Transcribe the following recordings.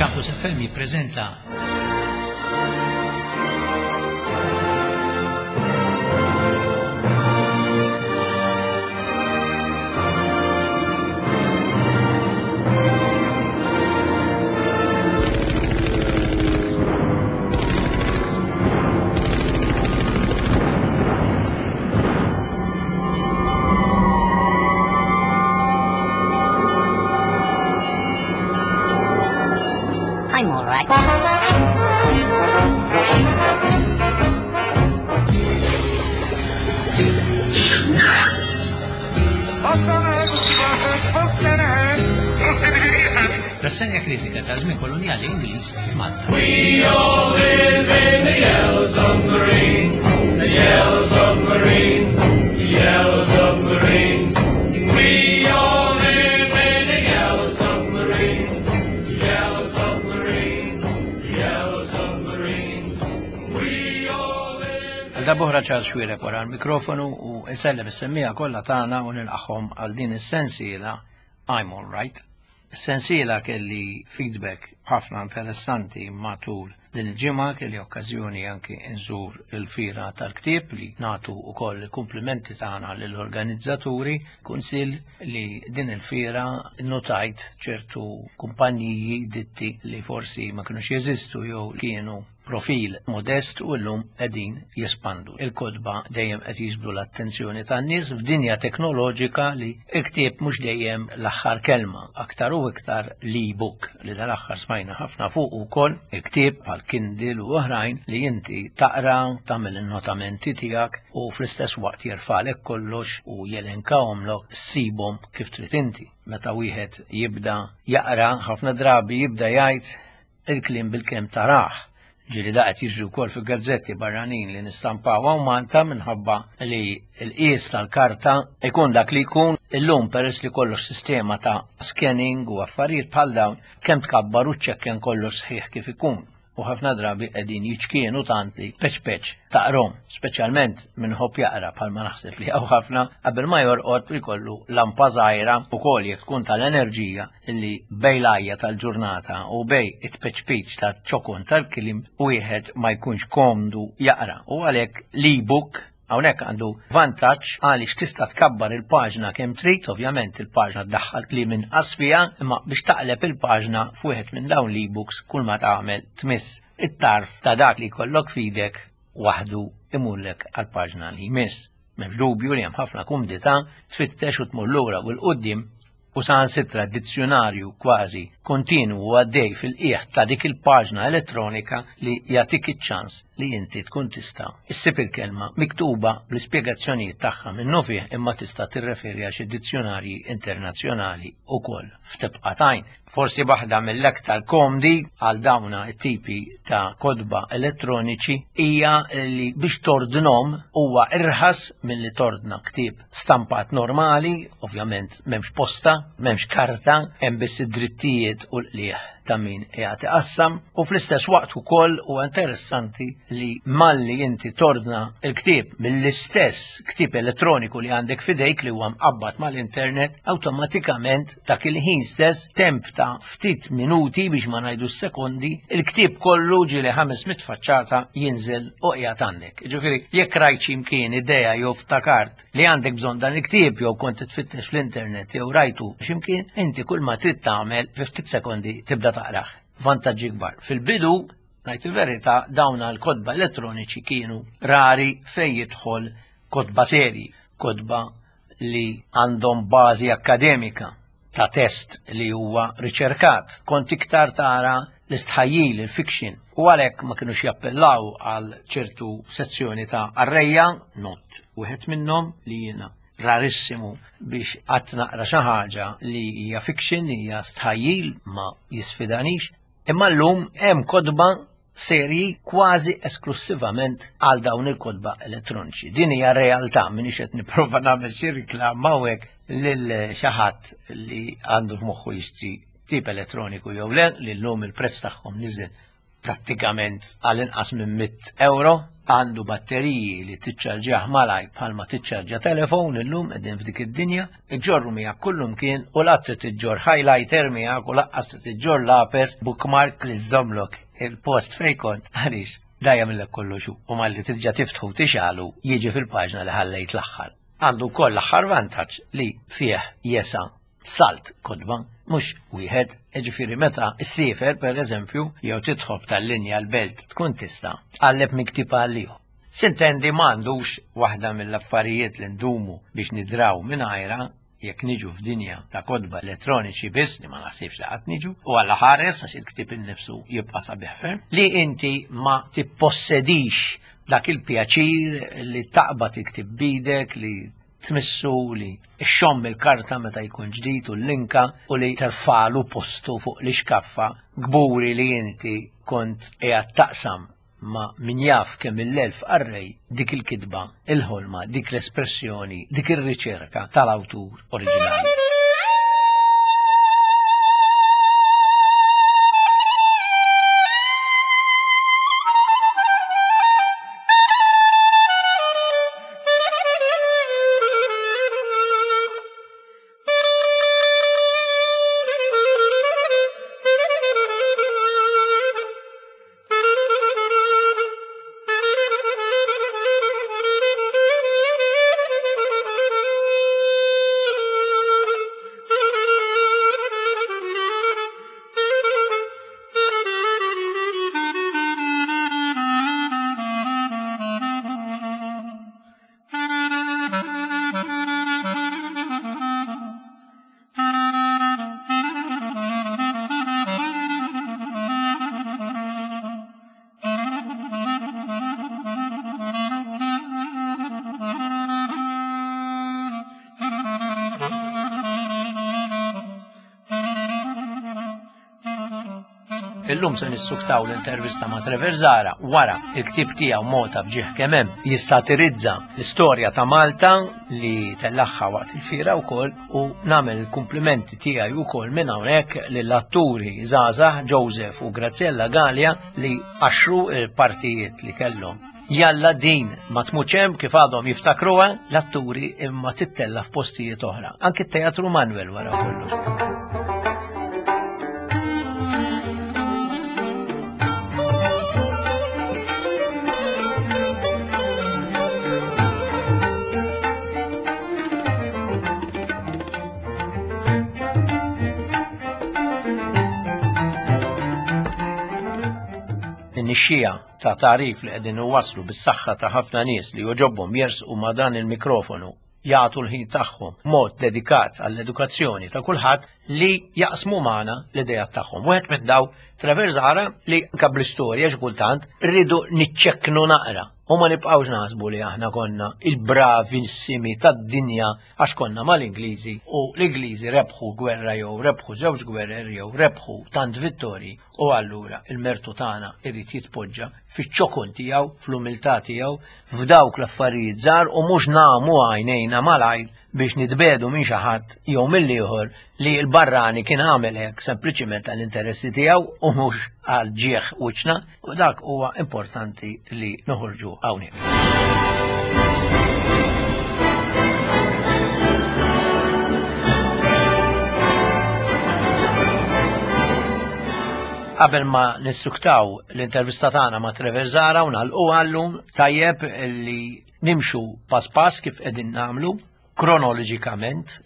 Campus FM jippreżenta I'm all right. Rassenja kritika ta' żmien kolonjali Ingliż f'Malta. We all live in the yellow submarine, the yellow submarine, the yellow submarine. We all live in the yellow submarine, the yellow submarine, the yellow submarine. We all live. Għal darb'oħra Charles Xuereb wara l-mikrofonu u insellem is-semmiegħa kollha tagħna u nilqagħhom għal din is-sensiela I'm All Right. Is-sensiela kelli feedback ħafna interessanti matul din il-ġimgħa, kelli okkażjoni anki nżur il-fira tal-ktieb li nagħtu wkoll il-kumplimenti tagħna lill-organizzaturi, kunsill li din il-fira notajt ċertu kumpaniji ditti li forsi ma kinux jeżistu jew kienu profil modest u llum qegħdin jespandu. Il-kotba dejjem qed jiġbdu l-attenzjoni tan-nies f'dinja teknoloġika li l-ktieb mhux dejjem l-aħħar kelma, aktar u iktar l-e-book li dal-aħħar smajna ħafna fuq ukoll il-ktieb bħal Kindle u oħrajn li inti taqra, tagħmel in-notamenti tiegħek u fl-istess waqt jerfalek kollox u jelenkahomlok ssibhom kif trid inti. Meta wieħed jibda jaqra ħafna drabi jibda jgħid il-kliem bilkemm tarah. Ġieli da qed jiġri wkoll fil-gazzetti barranin li nistampaw hawn Malta minħabba li l-qies tal-karta ikun dak li jkun illum peress li kollox sistema ta' scanning u affarijiet bħal dawn kemm tkabbar u ċċekken kollox sħiħ kif ikun. U ħafna drabi qegħdin jiċkienu tant li peċ peċ taqrom, speċjalment min ħobb jaqra bħalma naħseb li hawn ħafna qabel ma jorqod jkollu lampa żgħira ukoll jekk tkun tal-enerġija li bej l-għajja tal-ġurnata u bej it-peċpiċ ta' ċokon tal-kliem wieħed ma jkunx komdu jaqra. U għalhekk l-e-book hawnhekk għandu vantaġġ għaliex tista' tkabbar il-paġna kemm trid, ovvjament il-paġna ddaħħal kliem inqas fiha, imma biex taqleb il-paġna f'wieħed minn dawn l-e-books kull ma tagħmel tmiss it-tarf ta' dak li jkollok f'idek waħdu imurlek għall-paġna li jmiss. M'hemmx dubju li hemm ħafna kumdità tfittex u tmur lura u l-qudiem u saħansitra dizzjunarju kważi kontinwu għaddej fil-qiegħ ta' dik il-paġna elettronika li jagħtik iċ-ċans li inti tkun tista' issib il-kelma miktuba bl-ispjegazzjonijiet tagħha minnufih imma tista' tirreferi għal xi dizzjunarji internazzjonali wkoll f'tibqa' t'għajn. Forsi waħda mill-aktar komdi għal dawna t-tipi ta' kotba elettroniċi hija li biex tordnhom huwa irħas milli tordna ktieb stampat normali, ovvjament m'hemmx posta, m'hemmx karta, hemm biss id-drittijiet u l-qligħ ta' min qiegħed iqassam u fl-istess waqt ukoll huwa interessanti li malli inti tordna l-ktieb mill-istess ktieb elettroniku li għandek f'idejk li huwa mqabbad mal-internet, awtomatikament dak il-ħin stess temp ta' ftit minuti biex ma ngħidu sekondi, il-ktieb kollu ġieli 500 faċċata jinżel u qiegħed għandek. Ġifieri jekk rajt xi mkien idea jew ftakart li għandek bżonn dan il-ktieb jew kont tfittex fl-internet jew rajtu x'imkien, inti kull ma trid tagħmel fi ftit sekondi tibda taqrah. Vantaġġi kbar. Fil-bidu, ngħid il-verità, dawn l-kotba elettroniċi kienu rari fejn jidħol kotba serji, kotba li għandhom bażi akkademika ta' test li huwa riċerkat. Kont iktar tara l-istħajjil, il-fiction, u għalhekk ma kinux jappellaw għal ċertu sezzjoni ta' qarrejja, not wieħed minnhom li jiena rarissimu biex qatt naqra xi ħaġa li hija fiction, li hija stħajjil, ma jisfidanix. Imma llum hemm kotba serji kważi esklussivament għal dawn il-kotba elettroniċi. Din hija realtà minix qed nipprova nagħmel xi reklam hawnhekk lil xi ħadd li għandu f'moħħu jixtri tip elettroniku jew le, li llum il-prezz tagħhom niżel prattikament għal inqas minn 100 euro. Għandu batteriji li tiċċarġjah malajr bħalma tiċċarġja telefon illum qegħdin f'dik id-dinja, iġorru miegħek kullumkien u la trid iġġorr highlighter miegħek u laqqas trid iġġorr lapes bookmark li żżommlok il-post fejn kont għaliex da jagħmillek kollox hu u malli terġa' tiftħu tixgħalu jiġi fil-paġna li ħallejt l-aħħar. Għandu wkoll l-aħħar vantaġġ li fih jesa' salt kotba, mhux wieħed, jiġifieri meta ssiefer pereżempju jew tidħob tal-linja l-belt tkun tista' tqalleb minn ktieb għal ieħor. Sintendi m'għandux waħda mill-affarijiet li ndumu biex nidraw mingħajrha jekk niġu f'dinja ta' kotba elettroniċi biss, li ma naħsibx li qatt niġu, u Alla ħares għax il-ktieb innifsu jibqa' sabiħ ferm, li inti ma tippossedix dak il-pjaċir li taqbad il-ktieb b'idek, li tmissu, li xxomm il-karta meta jkun ġdid u l-linka u li terfalu postu fuq l-ixkaffa kburi li inti kont qiegħed taqsam ma' min jaf kemm il-elf qarrej dik il-kitba, il-ħolma, dik l-espressjoni, dik ir-riċerka tal-awtur oriġinali. Illum se nissuktaw l-intervista ma' Trevor Zara wara il-ktieb tiegħu Mota f'ġieħ kemm hemm jissatirizza l-istorja ta' Malta li tellaħħa waqt il-fiera wkoll u nagħmel il-kumplimenti tiegħi wkoll minn hawnhekk lill-atturi żgħażagħ Joseph u Graziella Galea li qaxxru l-partijiet li kellhom. Jalla din ma tmutx hemm kif għadhom jiftakruha l-atturi imma tittella f'postijiet oħra. Anki t-Teatru Manuel wara kollox. In-nixxija ta' tagħrif li qegħdin iwasslu bis-saħħa ta' ħafna nies li jogħġobhom jersqu ma' dan il-mikrofonu jagħtu l-ħin tagħhom mod dedikat għall-edukazzjoni ta' kulħadd li jaqsmu magħna l-idejat tagħhom. Wieħed minn daw Trevor Zara li anke bl-istorja xi kultant rridu niċċekknu naqra u ma nibqgħux naħsbu li aħna konna il-bravissimi tad-dinja għax konna mal-Ingliżi u l-Ingliżi rebħu gwerra jew rebħu żewġ gwerer jew rebħu tant vittorji u allura il-mertu tagħna irid jitpoġġa fiċ-ċokon tiegħu, fl-umiltà tiegħu, f'dawk l-affarijiet żgħar u mhux nagħmu għajnejna malajr biex nitbedu minn xi ħadd jew mill-ieħor li l-barrani kien għamel hekk sempliċiment għall-interessi tiegħu u mhux għal ġieħ wiċċna u dak huwa importanti li noħorġu hawnhekk. Qabel ma nissuktaw l-intervista tagħna ma' Trevor Zara u nagħlqu għallum tajjeb li nimxu pass pass kif qegħdin nagħmlu kronoloġikament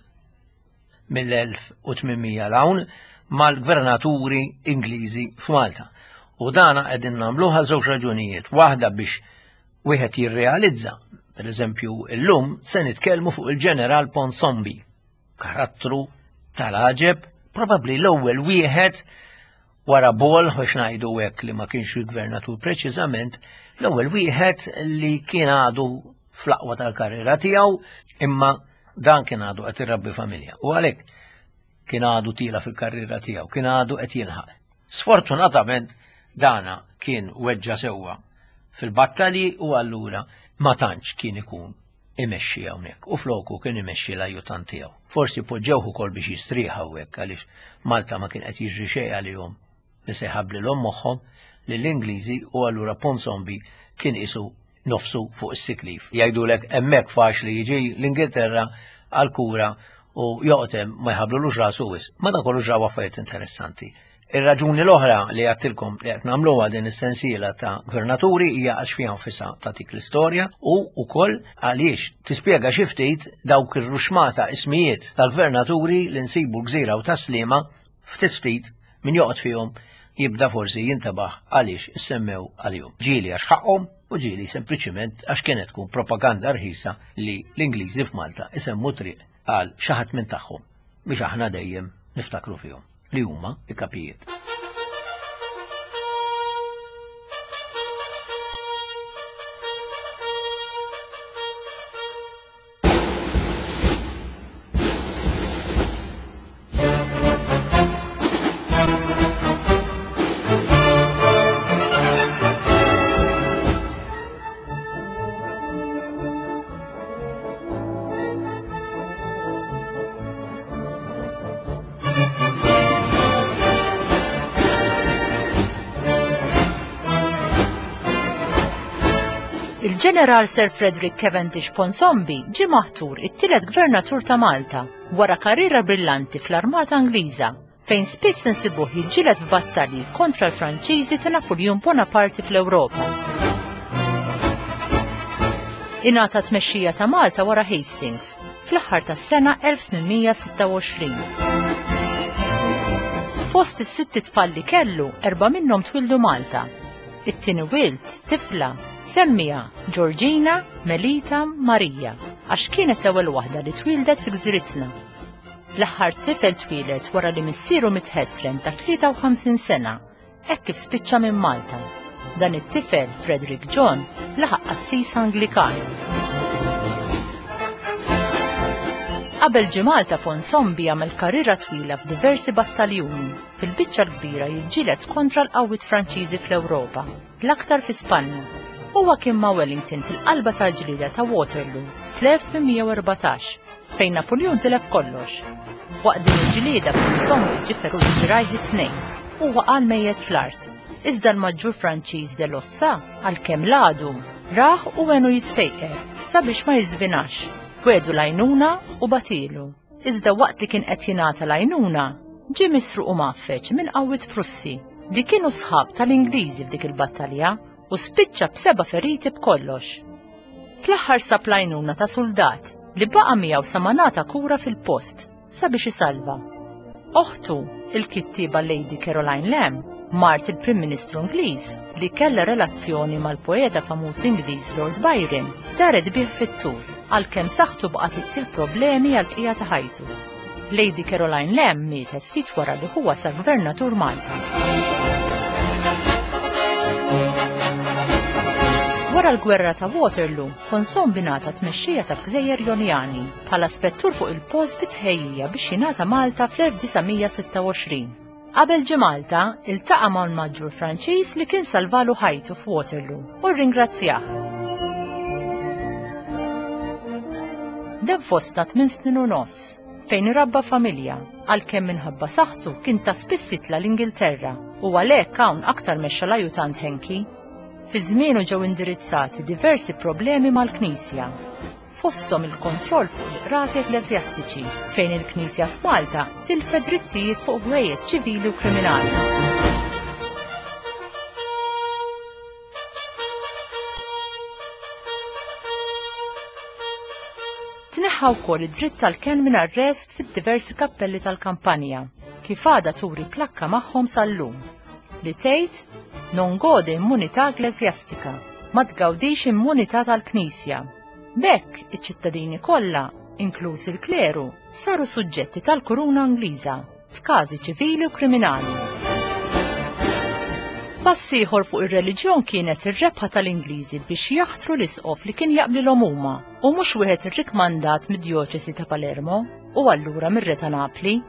mill-1800 l-hawn mal-gvernaturi Ingliżi f'Malta. U dana qegħdin nagħmluha żewġ raġunijiet. Waħda biex wieħed jirrealizza, per eżempju, illum se nitkellmu fuq il-ġeneral Ponsombi, karattru tal-għaġeb, probabbli l-ewwel wieħed wara Ball, biex ngħidu hekk li ma kienx il-gvernatur preċiżament, l-ewwel wieħed li kien għadu fl-aqwa tal-karriera tiegħu, imma dan kien għadu qed irabbi familja. U għalhekk kien għadu tila fil-karriera tiegħu, kien għadu qed jilħaq. Sfortunatament dana kien weġġa sewwa fil-battalji u allura ma tantx kien ikun imexxi hawnhekk u floku kien imexxi l-ajjutant tiegħu. Forsi poġġewh ukoll biex jistrieħ hawnhekk għaliex Malta ma kien qed jiġri xejn għalihom li se jħabblilhom moħħhom lill-Ingliżi u allura Ponsonby kien qisu nofsu fuq is-sick leave. Jgħidulek hemmhekk faċli jiġi l-Ingilterra għal kura u joqgħod hemm ma jħablulux rasu wisq. Madankollu ġraw affarijiet interessanti. Ir-raġuni l-oħra li għattilkom li qed nagħmluha din is-sensiela ta' gvernaturi hija għax fiha nfisha tagħtik l-istorja u wkoll għaliex tispjega xi ftit dawk ir-ruxmata ismijiet tal-gvernaturi li nsibu l-Gżira u Tas-Sliema ftit ftit min joqgħod fihom jibda forsi jintebaħ għaliex issemmew għalihom. Ġieli għax ħaqhom u ġieli sempliċiment għax kienet tkun propaganda rħisa li l-Ingliżi f'Malta isemmu triq għal xi ħadd minn tagħhom biex aħna dejjem niftakru fihom li huma i-kapijiet. Il-Ġeneral Sir Frederick Cavendish Ponsonby ġie maħtur it-tielet gvernatur ta' Malta wara karriera brillanti fl-Armata Ingliża fejn spiss insibuh jiġġieled f'battalji kontra l-Franċiżi ta' Napuljun Bonaparte fl-Ewropa. Ingħata tmexxija ta' Malta wara Hastings fl-aħħar tas-sena 1826. Fost is-sitt tfal li kellu, erba' minnhom twildu Malta. It-tieni wild, tifla, semmija Georgina Melita Marija, għax kienet l-ewwel waħda li twildet fi gżiritna. L-aħħar tifel twieled wara li missieru miet ħesrem ta' 53 sena, hekk kif spiċċa minn Malta. Dan it-tifel, Frederick John, laħaq qassis Anglikan. Qabel ġie Malta Ponsonby għamel karriera twila f'diversi battaljuni, fil-biċċa l-kbira jiġġieled kontra l-qawwiet Franċiżi fl-Ewropa, l-aktar fi Spanja. Huwa kien ma' Wellington fil-qalba tal-ġlieda ta' Waterloo fl-1814, fejn Napuljun tilef kollox. Waqt din il-ġlieda Ponsonby ġie ferut f'dirgħajh it-tnejn u waqa' mejjet fl-art. Iżda l-Maġġur Franċiż de Lossa, għalkemm l-għadu, rah u għenu jistejqer sabiex ma jiżvinax. Wiegħdu l-għajnuna u bagħtielu. Iżda waqt li kien qed jingħata l-għajnuna, ġie misruq u mgħaffeġ minn qawwiet Prussi li kienu sħab tal-Ingliżi f'dik il-battalja u spiċċa b'seba' feriti b'kollox. Fl-aħħar sab l-għajnuna ta' suldat li baqa' miegħu sa ma ngħata kura fil-post sabiex isalva. Oħtu, il-kittieba Lady Caroline Lamb, mart il-Prim Ministru Ingliż li kellha relazzjoni mal-poeta famuż Ingliż Lord Byron, daret bih fit-tul għalkemm saħħtu baqgħet ittih problemi għall-bqija ta' ħajtu. Lady Caroline Lamb mietet ftit wara li huwa sar Gvernatur Malta. Wara l-gwerra ta' Waterloo, Ponsonby ngħata tmexxija tal-Gżejjer Jonjani bħala spettur fuq il-post bi tħejjija biex jingħata Malta fl-1926. Qabel ġie Malta, iltaqa' mal-Maġġur Franċiż li kien salvalu ħajtu f'Waterloo u rringrazzjah. Dem fosta tmien snin u nofs, fejn irabba familja, għalkemm minħabba saħħtu kien ta' spiss jitla' l-Ingilterra u għalhekk hawn aktar mexxa l-ajutant Henke. Fi żmienu ġew indirizzati diversi problemi mal-Knisja, fosthom il-kontroll fuq il-qrati ekkleżjastiċi, fejn il-Knisja f'Malta tilfet drittijiet fuq ħwejjeġ ċivili u kriminali. Tneħħa wkoll id-dritt tal-kenn minn arrest fid-diversi kappelli tal-kampanja, kif għadha turi plakka magħhom sal-lum, li tgħid non gode immunità ekkleżjastika, ma tgawdix immunità tal-Knisja. B'hekk, iċ-ċittadini kollha, inkluż il-kleru, saru suġġetti tal-Kuruna Ingliża f'każi ċivili u kriminali. Pass ieħor fuq ir-reliġjon kienet ir-rebħa tal-Ingliżi biex jaħtru l-isqof li kien jaqblilhom huma u mhux wieħed irrikmandat mid-djoċesi ta' Palermo u allura mir-Re ta' Napli.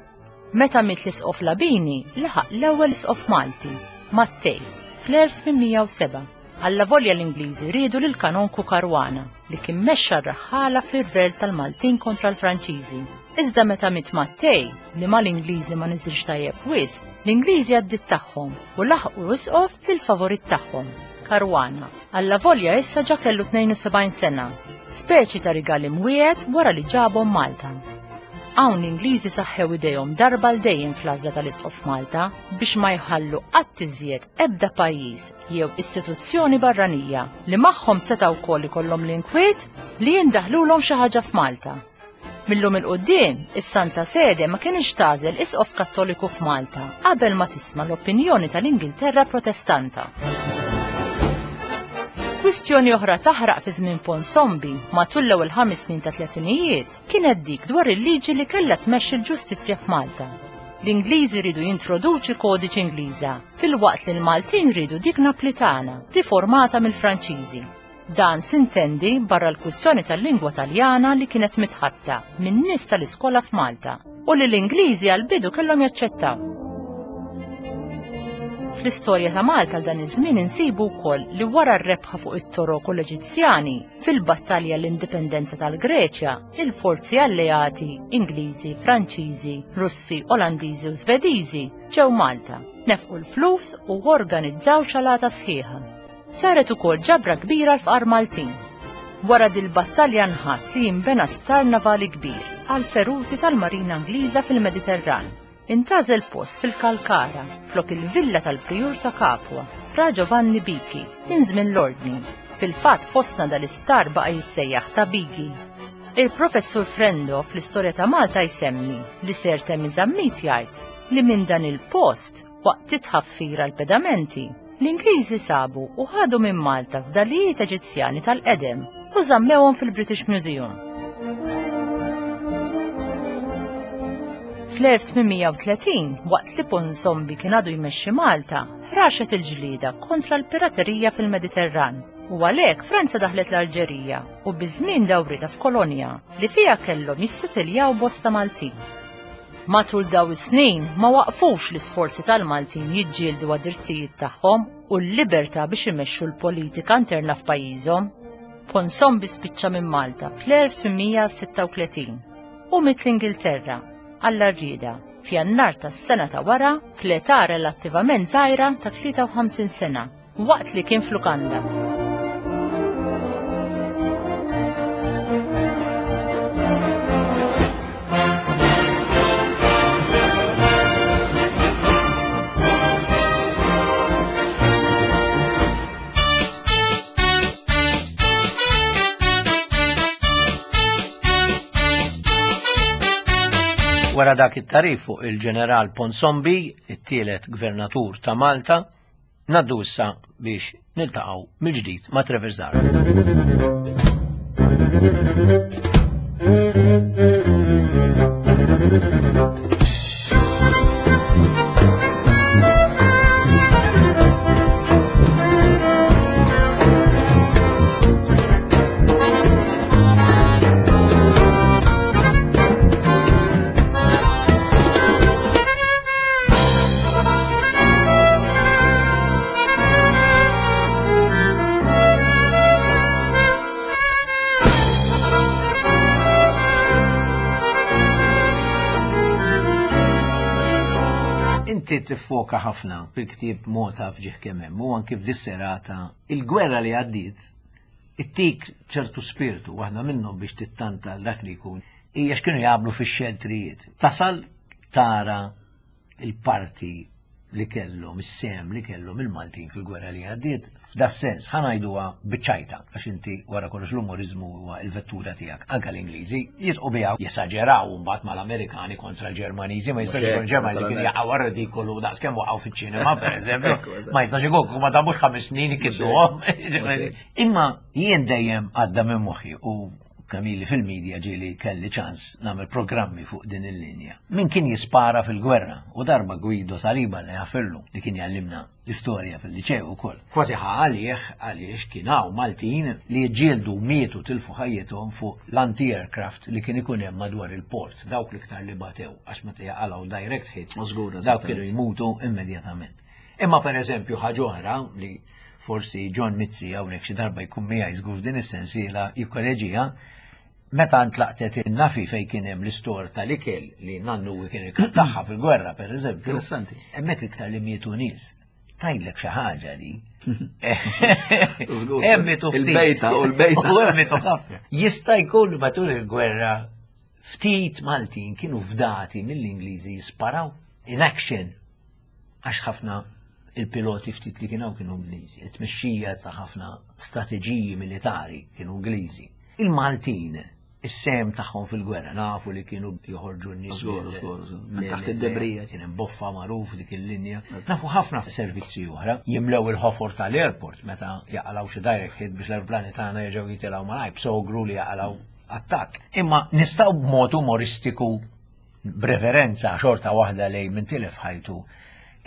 Meta miet l-Isqof Labini, laħaq l-ewwel Isqof Malti, Mattei, fl-1807. Allavolja l-Ingliżi riedu lil Kanonku Caruana, li kien mexxa r-raħħala fl-irvell tal-Maltin kontra l-Franċiżi. Iżda meta miet Mattei, li mal-Ingliżi ma niżilx tajjeb wisq, l-Ingliżi għaddiet tagħhom u laħqu isqof lil favorit tagħhom, Caruana. Allavolja issa ġa kellu 72 sena, speċi ta' rigal imwiegħed wara li ġabhom Malta. Hawn l-Ingliżi saħħew idejhom darba l dejjem fl-għażla tal-Isqof Malta biex ma jħallu qatt iżjed ebda pajjiż jew istituzzjoni barranija li magħhom seta' wkoll ikollhom l-inkwiet li jindaħlulhom xi ħaġa f'Malta. Millum il-quddiem, is-Santa Sede ma kienx tagħżel isqof Kattoliku f'Malta qabel ma tisma' l-opinjoni tal-Ingilterra Protestanta. Kwistjoni oħra taħraq fi żmien Ponsombi matul l-ewwel ħames snin ta' tletinijiet kienet dik dwar il-liġi li kellha tmexxi l-ġustizzja f'Malta. L-Ingliżi riedu jintroduċi kodiċi Ingliża, filwaqt li l-Maltin riedu dik Naplitana, riformata mill-Franċiżi. Dan sintendi barra l-kwistjoni tal-lingwa Taljana li kienet mitħatta minn nies tal-iskola f'Malta u li l-Ingliżi għall-bidu kellhom jaċċettaw. Fl-istorja ta' Malta għal dan iż-żmien insibu wkoll li wara r-rebħa fuq it-Torok u l-Eġizzjani fil-battalja l-indipendenza tal-Greċja, il-forzi alleati Ingliżi, Franċiżi, Russi, Olandiżi u Svediżi ġew Malta, nefqu l-flus u organizzaw ċalata sħiħa. Saret ukoll ġabra kbira għall-fqar Maltin. Wara dil-battalja nħass li jinbena sptar navali kbir għall-feruti tal-Marina Ingliża fil-Mediterran. Intgħażel post fil-Kalkara flok il-villa tal-Prijur ta' Capua, Fra Giovanni Biki, minn żmien l-Ordni. Fil-fatt fostna dal-isptar baqa' jissejjaħ ta' Bigi. Il-Professur Frendo fl-Istorja ta' Malta jsemmi li Sir Temi Zammit jgħid li minn dan il-post Waqt it-tħaffir għall-pedamenti, l-Ingliżi sabu u ħadu minn Malta fdalijiet Eġizzjani tal-qedem u żammewhom fil-British Museum. Fl-1830, waqt li Ponsombi kien għadu jmexxi Malta, ħraxet il-ġlieda kontra l-piraterija fil-Mediterran u għalhekk Franza daħlet l-Alġerija u biż-żmien dawritha f'kolonja li fiha kellhom jissetiljaw bosta Maltin. Matul daw is-snin ma waqfux l-isforzi tal-Maltin jiġġieldu għad-drittijiet tagħhom u l-libertà biex imexxu l-politika interna f'pajjiżhom. Ponsombi spiċċa minn Malta fl-1836 u miet l-Ingilterra għall-arrieda f'Jannar tas-sena ta' wara fl-età relattivament żgħira ta' 53 sena. Waqt li kien f'lukanda. Wara dak it-tarif fuq il-ġeneral Ponsombi, it-tielet gvernatur ta' Malta, Ngħaddu issa biex niltaqgħu mill-ġdid ma' Trevor Zara. Inti tiffoka ħafna fil-ktieb Mota f'ġieħ kemm hemm u anki f'dis-serata il-gwerra li għaddiet ittik ċertu spirtu waħda minnhom biex tittanta dak li jkun hija x'kienu jagħmlu fix-xeltrijiet. Tasal tara il-parti li kellhom, is-sehem li kellhom il-Maltin fil-gwerra li għaddiet, f'da sens ħa ngħiduha biċ-ċajta, għax inti wara kollox l-umoriżmu huwa l-vettura tiegħek. Anke l-Ingliżi jitqu biha jesaġeraw mbagħad mal-Amerikani kontra l-Ġermaniżi, ma jistax ikun Ġermaniżi kien jaqgħu ridikolu daqskemm waqgħu fiċ-ċinema, pereżempju. Ma jistax ikun ma damux ħames snin ikidduhom. Imma jien dejjem għadda minn moħħi u kemm ili fil-media ġieli kelli ċans nagħmel programmi fuq din il-linja. Min kien jispara fil-gwerra u darba Guido Saliba li jafirlu li kien jgħallimna l-istorja fil-liċew ukoll. Kważi ħa għalih għaliex kien hawn Maltin li jiġġieldu mietu tilfu ħajjithom fuq l-anti-aircraft li kien ikun hemm madwar il-port, dawk l-iktar li batew għax meta jaqalgħu direct hit, dawk kienu jmutu immedjatament. Imma per eżempju ħaġa oħra li forsi John Mizzi hawnhekk xi darba jkun miegħi żgur f'din is-sensiela jikkoreġiha, meta ntlaqtet in-nafi fejn kien hemm l-istor tal-ikel li nannu kien ikattaħħa fil-gwerra pereżempju. Interessanti. Hemmhekk iktar li mietu nies. Tgħidlek xi ħaġa li. Emmitu Il-bejta u l-bejta. U emmitu ħafna. Jista' jkun matul il-gwerra ftit Maltin kienu fdati mill-Ingliżi jisparaw in action għax ħafna il-piloti ftit li kienu kienu Ingliżi, it-tmexxija ta' ħafna strateġiji militari kienu Ingliżi. Il-Maltin is-sehem tagħhom fil-gwerra nafu li kienu joħorġu n-nies. Minn taħt id-debrija. Kien hemm boffa magħruf dik il-linja. Nafu ħafna servizzi oħra jimlew il-ħofor tal-airport meta jaqalgħu xi direct hit biex l-aeroplani tagħna jerġgħu jitilgħu malajr b'sogru li jaqalgħu attakk. Imma nistgħu b'mod umoristiku b'referenza xorta waħda lejn min tilef ħajtu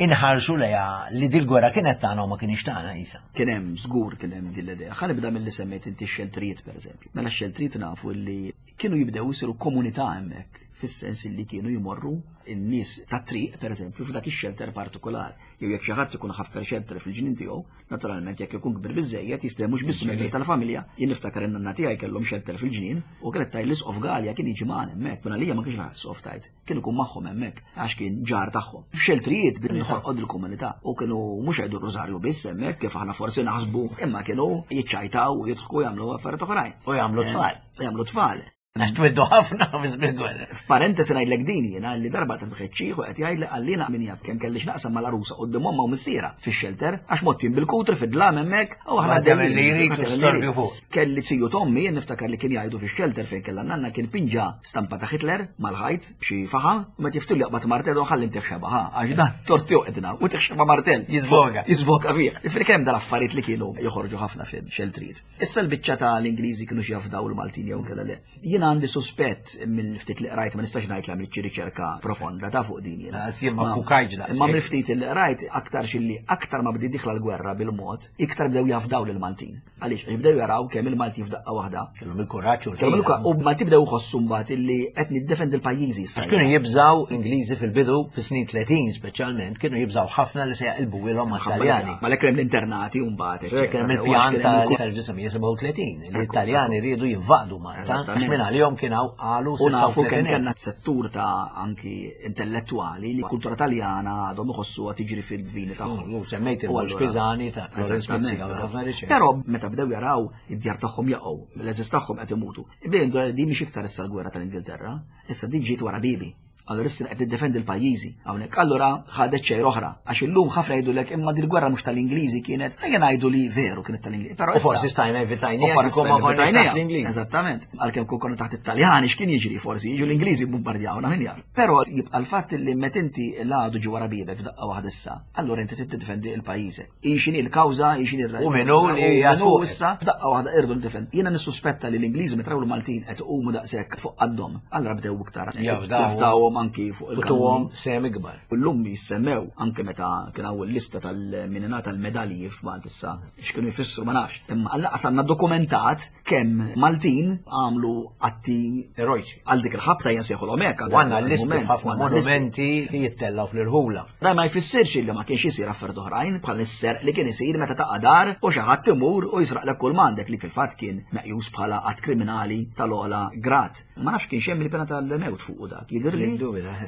inħarsu lejha li dil-gwerra kienet tagħna u ma kienx tagħna isa. Kien hemm żgur kien hemm din l-idea. Ħa nibda milli semmejt inti x-xeltrijiet pereżempju. Mela x-xeltrijiet nafu li kienu jibdew isiru komunità hemmhekk fis-sens li kienu jmorru n-nies tat-triq pereżempju f'dak ix-xelter partikolari. Jew jekk xi ħadd ikun ħaffer xelter fil-ġnien tiegħu, naturalment jekk ikun kbir biżejjed jista' mhux biss membri tal-familja, jien niftakar in-nanna tiegħi kellhom xelter fil-ġnien u kienet tgħid l-isqof Galea kien jiġi magħna hemmhekk, minn għalija ma kienx raħal isqof tgħid. Kien ikun magħhom hemmhekk għax kien ġar tagħhom. F'xeltrijiet billi ħolqod il-komunità u kienu mhux jgħidu r-rużarju biss hemmhekk kif aħna forsi naħsbu imma kienu jiċċajtaw u jidħku jagħmlu affarijiet oħrajn. U jagħmlu tfal. U jagħmlu tfal. Għax twildu ħafna fi żmien gwerra. F'parentesi ngħidlek din jiena li darba ta' bħeċċieħ u qed jgħidli qalli min jaf kemm kelli x'naqsam mal-għarusa quddiem omma u missiera fix-xelter għax mottin bil-kutri fid-dlam hemmhekk u aħna għaddejjin li jrid storbju fuq. Kelli ziju t'ommi jien niftakar li kien jgħidu fix-xelter fejn kellha nanna kien pinġa stampa ta' Hitler mal-ħajt b'xi faħam u meta jiftu li jaqbad martell u ħalli ntih xeba ħa għax dan tort joqedna u tih xeba martell. Jizvoga. Jizvoga fih. Ifri kemm dal-affarijiet li kienu joħorġu ħafna fil-xeltrijiet. Issa l-biċċa ta' l-Ingliżi kienu jafdaw il-Maltin jew kella le. Jien għandi suspett mill-ftit li qrajt ma nistax ngħid li għamilt xi riċerka profonda ta' fuq din jiena. Jien ma fukajġ daqs. Imma mill-ftit li qrajt aktar xilli aktar ma bdiet dieħla l-gwerra bil-mod, iktar bdew jafdaw lill-Maltin. Għaliex, għax bdew jaraw kemm il-Maltin f'daqqa waħda. Kellhom il-kuraġġ u Kellhom il-kuraġġ u Maltin bdew jħossu mbagħad illi qed niddefendi l-pajjiżi issa. Għax kienu jibżaw Ingliżi fil-bidu, fis-snin 30 speċjalment, kienu jibżaw ħafna li se jaqilbu ilhom mat-Taljani. Ma lek hemm l-internati u mbagħad. Kien hemm il-pjan tal-1937 li t-Taljani riedu jinvadu Malta. Għax minn għalihom kien hawn qalu U nafu kemm kellna settur ta' anki intellettwali li kultura Taljana għadhom iħossuha tiġri fil-vini tagħhom. U semmejt il-Mhux Pisani ta' Florence Mizzi, ħafna riċerka. Però meta bdew jaraw id-djar tagħhom jaqgħu, l-eżis tagħhom qed imutu. Bejn din mhix iktar issa l-gwerra tal-Ingilterra, issa din ġiet wara bibi. Allura issa qed niddefendi l-pajjiżi hawnhekk. Allura ħadet xejn oħra għax illum ħafna jgħidulek imma din il-gwerra mhux tal-Ingliżi kienet, ejja ngħidu li veru kienet tal-Ingliżi. Però U forsi stajna evitajniha U forsi kieku ma stajna konniex taħt evitajniha. l-Ingliżi. Eżattament. Għalkemm kieku konna taħt it-Taljani x'kien jiġri forsi jiġu l-Ingliżi bombardjawna min jaf. Però jibqa' l-fatt li meta inti l-għadu ġie wara biebek f'daqqa waħda issa, allura inti trid tiddefendi l-pajjiżek. Hi x'inhi l-kawża, hi x'inhi r U min hu li u qiegħed min hu fuqek. issa f'daqqa waħda irdu ndefend. Jiena nissuspetta li l-Ingliżi meta raw l-Maltin qed iqumu daqshekk fuq qaddhom, allura bdew iktar Jafdawhom. jafdawhom anki fuq U il-kanuni. tuhom sehem ikbar. U llum jissemmew anke meta kien hawn il-lista tal-min ingħata l-medalji f'Malta issa x'kienu jfissru ma nafx. Imma għall-anqas għandna dokumentat kemm Maltin għamlu atti erojċi. Għal dik il-ħabta jinsejħulhom hekk. U għandna listi f'ħafna monumenti li jittellgħu fl-irħula. Dan ma jfissirx li ma kienx isir affarijiet oħrajn bħal is-serq li kien isir meta taqa' dar u xi ħadd imur u jisraqlek kull m'għandek li fil-fatt kien meqjus bħala att kriminali tal-ogħla grad. Ma nafx kienx hemm il-pena tal-mewt fuqu dak. Jidhirli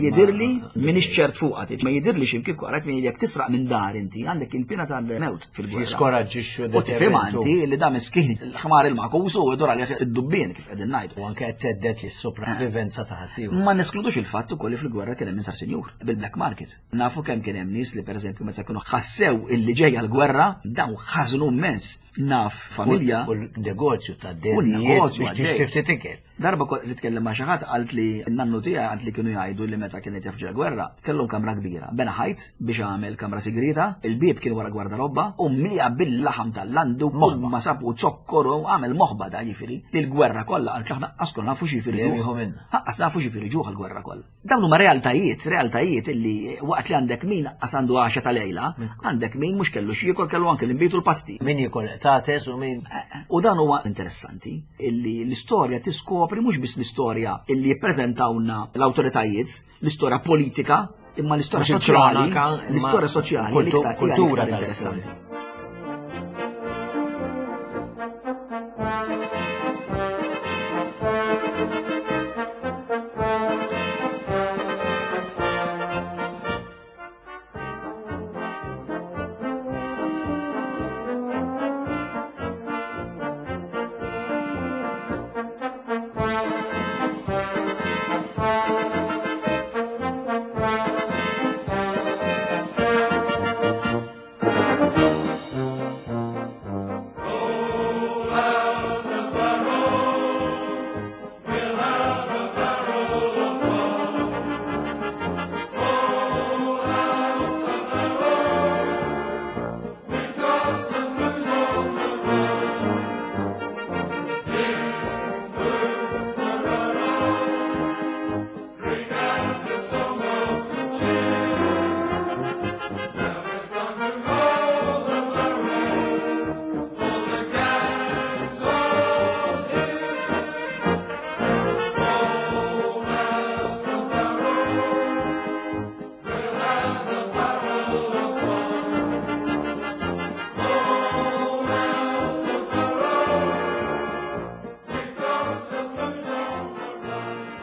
jidhirli m'iniex ċert fuqha, ma jidhirli x'imkien qrajt li jekk tisraq minn dar inti għandek il-pena tal-mewt fil-gwerra. Jiskoraġġixxu U tifhem inti li da miskin il-ħmar il-makus u jdur għalih id-dubbien kif qegħdin ngħidu. U anke qed thedded lis-sopravivenza ta' ħaddieħor. Ma neskludux il-fatt ukoll li fil-gwerra kien hemm min sar sinjur bil-black market. Nafu kemm kien hemm nies li pereżempju meta kienu ħassew illi ġejja l-gwerra dawn ħażnu immens. Naf familja. U l-negozju ta' dejnijiet biex tixtri ftit ikel. Darba kont nitkellem ma' xi ħadd qalt li n-nannu tiegħi qalt li kienu jgħidu li meta kienet jaf ġejja gwerra, kellhom kamra kbira. Bena ħajt biex għamel kamra sigrieta, il-bieb kien wara gwardarobba u mliha bil-laħam tal-landu kull ma sab u zokkor u għamel moħba da jiġifieri li l-gwerra kollha qalt li aħna qas konna nafu x'jifieri ġuħ. Qas nafu x'jifieri ġuħ il-gwerra kollha. Dawn huma realtajiet, realtajiet illi waqt li għandek min qas għandu għaxa ta' lejla, għandek min mhux kellu x'jiekol kellu anke l-inbid u l-pasti. Min jiekol qtates u min. U dan huwa interessanti illi l-istorja tiskopri mhux biss l-istorja illi jippreżentawlna l-awtoritajiet, l-istorja politika, imma l-istorja soċjali, l-istorja soċjali kultura interessanti.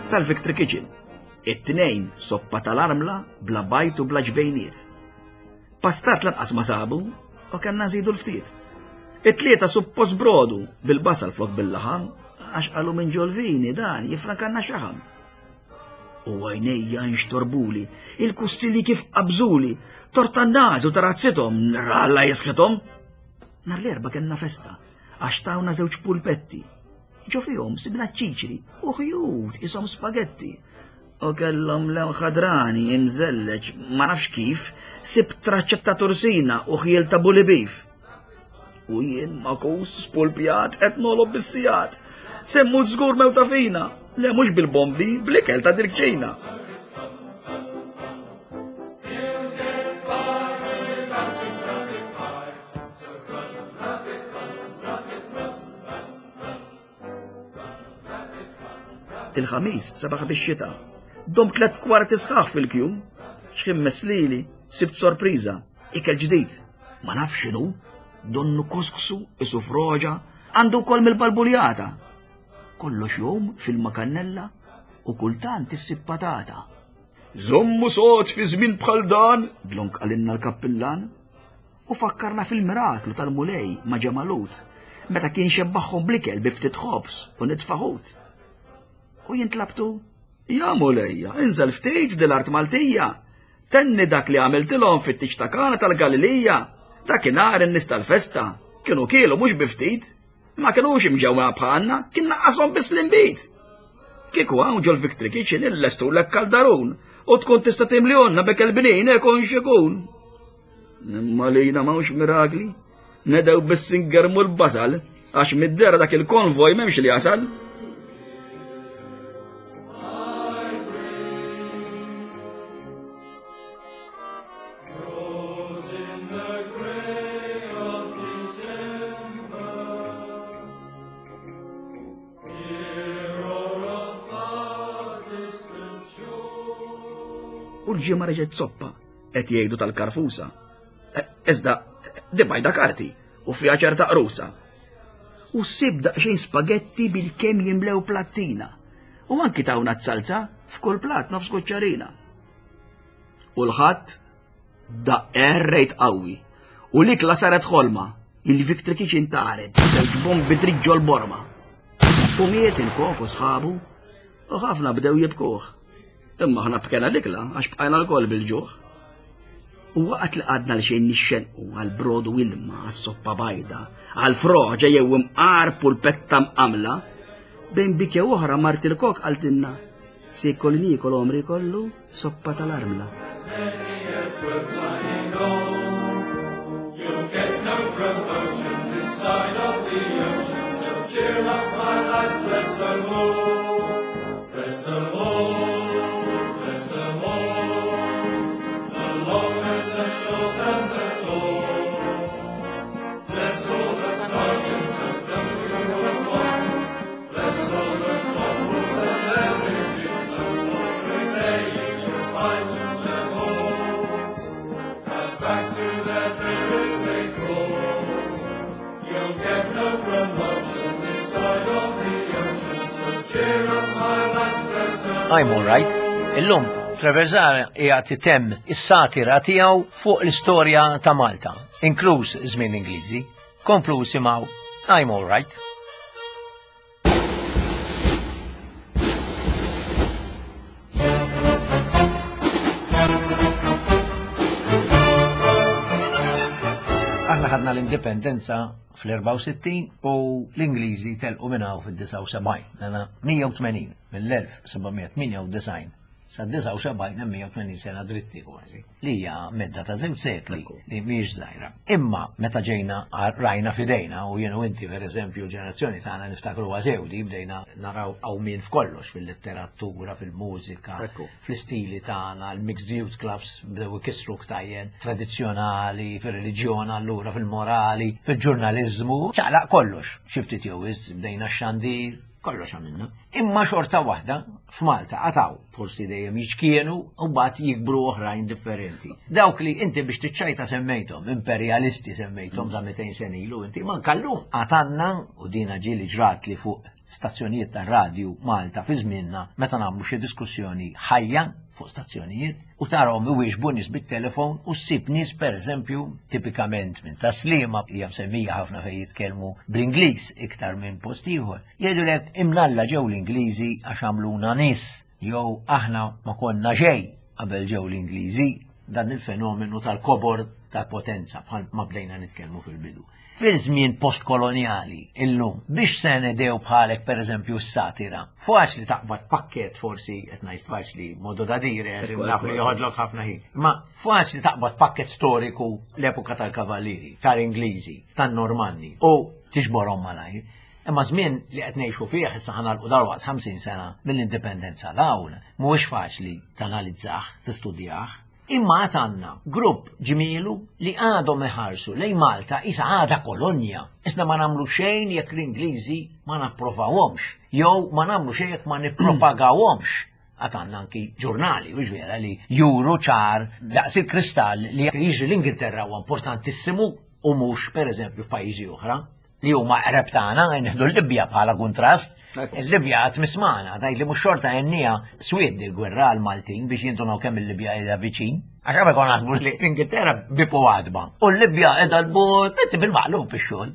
tal-Victory Kitchen. It-tnejn soppa tal-armla bla bajt u bla ġbejniet. Pastat lanqas ma sabu u kellna nżidu l-ftit. It-tlieta suppost brodu bil-basal flok bil-laħam għax qalu minn ġolvini dan jifrankanna xaħam. U għajnejja nxtorbuli, il-kustilji kif qabżuli, torta n-naż u tarazzithom, ralla jisħithom. Nar l-erba kellna festa, għax tawna żewġ pulpetti. Ġo fihom sibna ċiċri u ħjut isom spagetti. U kellhom lewn ħadrani imżelleġ ma nafx kif, sib traċċa ta' tursina u ħjiel ta' bulibif. U jien makus spulpjat qed nolob bis-sigħat. Semmu żgur mewta fina, le mhux bil-bombi, bl-ikel ta' dirkċina. Il-ħamis sabaħ bix-xita. Dom tlet kwarti sħaħ fil-kju. X'ħin meslili, sibt sorpriża, ikel ġdid. Ma nafx x'inhu, donnu kusksu, isu froġa, għandu wkoll mill-balbuljata. Kollox jom fil-makannella u kultant issib patata. Żommu sod fi żmien bħal dan, dlonk qalilna l-kappillan. U fakkarna fil-miraklu tal-Mulej ma' Ġemalut, meta kien xebbaħhom bl-ikel bi ftit ħobż u nitfa' ħut. U jien tlabtu, Ja Mulejja, inżel ftit f'dil-art Maltija, tenni dak li għamiltilhom fit-tieġ ta' Kana tal-Galilija, dakinhar in-nies tal-festa kienu kielu mhux bi ftit, Ma kinux imġewwa bħalna, kien naqqashom biss l-inbid. Kieku hawn ġol Victory Kitchen illestulek kaldarun u tkun tista' timliehonna b'ekel bnin ikun x'ikun. Imma lina m'hawnx mirakli, nedew biss ingermu l-basal għax mid-dera dak il-konvoj m'hemmx li jasal. U l-ġimgħa reġgħet zoppa qed jgħidu tal-karfusa. E, iżda di bajda karti u fiha ċerta qrusa. U ssib daqsxejn spagetti bil-kemm jimlew plattina. U anki tawna t-salza f'kull plat nofs kuċċarina. U l-ħadd daqq rejt qawwi. U l-ikla saret ħolma. Il-Victory Kitchen taret, żewġ bombi dritt ġol-borma. U miet il-kok u sħabu, u ħafna bdew jibkuh. Imma aħna bkena l-ikla għax bqajna lkoll bil-ġuħ. U waqt li qgħadna l xejn nixxenqu għal brodu ilma, għas-soppa bajda, għal froġa jew imqar pulpetta mqamla, bejn bikja oħra mart il-kok qaltilna, Siekol niekol għomri kollu soppa tal-armla. I'm all right. Illum, Trevor Zahra qiegħed itemm is-satira tiegħu fuq l-istorja ta' Malta, inkluż żmien Ingliżi. Komplu simgħu I'm all right. Aħna ħadna l-indipendenza fl-64 u l-Ingliżi telqu minn hawn fid-79, mela 180 mill-1798 sa 79 hemm 180 sena dritti kważi, li hija medda ta' żewġ sekli li mhijiex żgħira. Imma meta ġejna rajna f'idejna u jien u inti pereżempju l-ġenerazzjoni tagħna niftakruha sew di bdejna naraw qawmien f'kollox fil-letteratura, fil-mużika, fl-istili tagħna, l-mixed youth clubs bdew ikissru ktajjen tradizzjonali, fir-reliġjon allura fil-morali, fil-ġurnaliżmu, ċaqlaq kollox. Xi ftit jew bdejna x-xandir, kollox għamilna. Imma xorta waħda, F'Malta għataw, forsi dejjem jiċkienu u mbagħad jikbru oħrajn differenti. Dawk li inti biex tiċċajta semmejthom, imperjalisti semmejthom ta' 200 sena ilu, inti ma nkallum għatanna u dina ġieli ġrat li fuq stazzjonijiet ta' radju Malta fi żmienna meta nagħmlu xi diskussjoni ħajja fuq stazzjonijiet u tarahom iwieġbu nies bit-telefon u ssib nies pereżempju tipikament minn Taslima hija msemmija ħafna fejn jitkellmu bl-Ingliż iktar minn post ieħor. Jgħidulek imnalla ġew l-Ingliżi għax għamluna nies jew aħna ma konna xejn qabel ġew l-Ingliżi dan il-fenomenu tal-kobor tal-potenza bħal ma bdejna nitkellmu fil-bidu. Fil-żmien postkolonjali illum biex se nedew bħalek pereżempju s-satira. Faċli taqbad pakket forsi qed ngħid faċli modo da dire naf li joħodlok ħafna ħin. Ma faċli taqbad pakket storiku l-epoka tal-Kavallieri, tal-Ingliżi, tan-Normanni u tiġborhom malajr. Imma żmien li qed ngħixu fih issa ħanalqu dalwaqt 50 sena mill-indipendenza l-hawn mhuwiex faċli tanalizzah, tistudjah. Imma għad għandna grupp ġmielu li għadhom iħarsu lejn Malta isa għadha kolonja. Isna ma nagħmlu xejn jekk l-Ingliżi ma napprovawhomx, jew ma nagħmlu xejn jekk ma nippropagawhomx. Għad għandna anki ġurnali, u vera li juru ċar daqs il-kristall li jiġri l-Ingilterra huwa importantissimu u mhux pereżempju f'pajjiżi oħra li huma qreb tagħna, nieħdu l-Libja bħala kuntrast. Il-Libja għad mismana, tgħid li mhux xorta għennija swied il-gwerra għal Maltin biex jintunaw kemm il-Libja qiegħda viċin. Għax qabel konna naħsbu li l-Ingilterra bipu għadba. U l-Libja qiegħda l-bot, inti bil-maqlub ix-xogħol.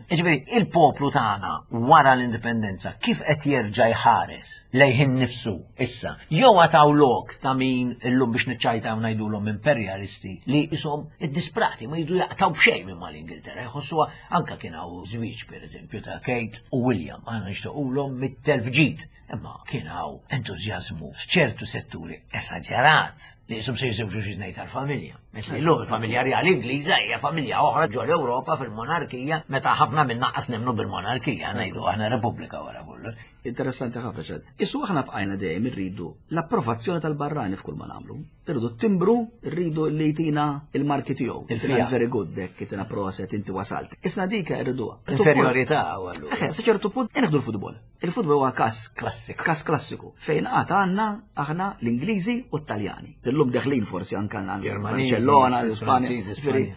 Jiġifieri il-poplu tagħna wara l-indipendenza kif qed jerġa' jħares lejh innifsu issa. Jew għataw lok ta' min illum biex niċċajtaw ngħidulhom imperjalisti li ishom id-disprati ma jridu jaqtaw b'xejn minn mal-Ingilterra, jħossuha anka kien hawn żwieġ pereżempju ta' Kate u William, aħna nixtiequlhom mit-telf ġid, imma kien hawn entużjażmu f'ċertu setturi esaġerat li jisum se jiżewġu xi tnejn tal-familja. Meta illum il-familja rjali Ingliża hija familja oħra ġol Ewropa fil-monarkija meta ħafna minna qas nemmnu bil-monarkija ngħidu aħna Repubblika wara kollox. Interessanti ħafna ċed. Isu aħna bqajna dejjem irridu l-approvazzjoni tal-barrani f'kull ma nagħmlu. Irridu t-timbru, irridu li jtina il-marki tiegħu. Il-fiat. Very good, dek, jtina proset, inti wasalt. Isna dika irriduha. Inferiorità għallu. Eħe, sa ċertu punt, nieħdu l-futbol. Il-futbol huwa kas klassiku. Kas klassiku. Fejn għad għandna aħna l-Ingliżi u t-Taljani. Illum deħlin forsi anke għandna Barcellona, l-Ispanja,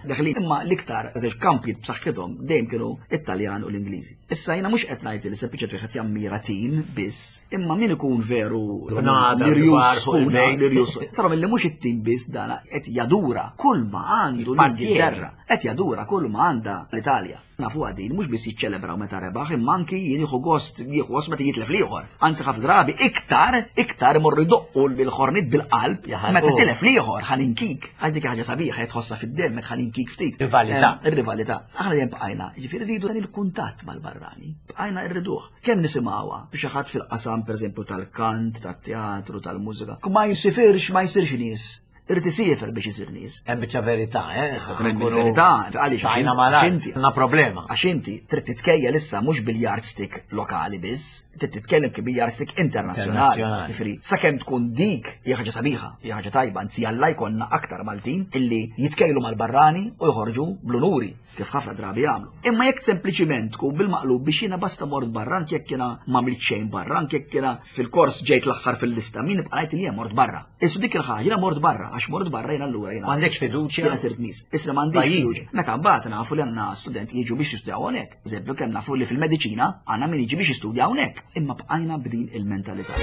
deħlin. Imma l-iktar żewġ kampi b'saħħithom dejjem kienu it-Taljan u l-Ingliżi. Issa jiena mhux qed ngħid li sempliċement wieħed jammira tim biss, imma min ikun veru l-irjus. Tara li mhux it-tim biss dana qed jadura kull ma għandu l-Ingilterra, qed jadura kull ma għandha l-Italja. Nafu din mhux biss jiċċelebraw meta rebaħ, imma anki jien jieħu gost jieħu gost meta jitlef l-ieħor. Anzi ħafna drabi iktar iktar imorru jdoqqu bil-ħornit bil-qalb meta tilef l-ieħor ħalinkik. Għax dik ħaġa sabiħa qed tħossha fid-demm hekk ħalinkik ftit. Rivalità. Ir-rivalità. Aħna dejjem bqajna, jiġifieri rridu dan il-kuntatt mal-barrani. Bqajna rriduh. Kemm nisimgħuha biex xi ħadd fil-qasam pereżempju tal-kant, tat-teatru, tal-mużika. Ma jsifirx, ma jsirx nies. Irid isiefer biex isir nies. Hemm biċċa verità, eh? Issa hemm verità, għaliex għajna mal-art. Għandna problema. Għax inti trid titkejjel issa mhux bil-yardstick lokali biss, trid titkellem kif bil-yardstick internazzjonali. Jiġifieri, sakemm tkun dik hija ħaġa sabiħa, hija ħaġa tajba, anzi jalla jkollna aktar Maltin illi jitkejlu mal-barrani u joħorġu bl-unuri kif ħafna drabi jagħmlu. Imma jekk sempliċiment tkun bil-maqlub biex jiena basta mort barra anke jekk jiena m'għamilt xejn barra, anke jekk jiena fil-kors ġejt l-aħħar fil-lista, min ibqa' ngħid li jien mort barra. Issu dik il-ħaġa jiena mort barra, għax mort barra jiena allura jiena. M'għandekx fiduċja. Jiena sirt nies. Issa m'għandix fiduċja. Meta mbagħad nafu li għandna student jiġu biex jistudjaw hawnhekk. Eżempju kemm nafu li fil-mediċina għandna min jiġi biex jistudja hawnhekk. Imma bqajna b'din il-mentalità.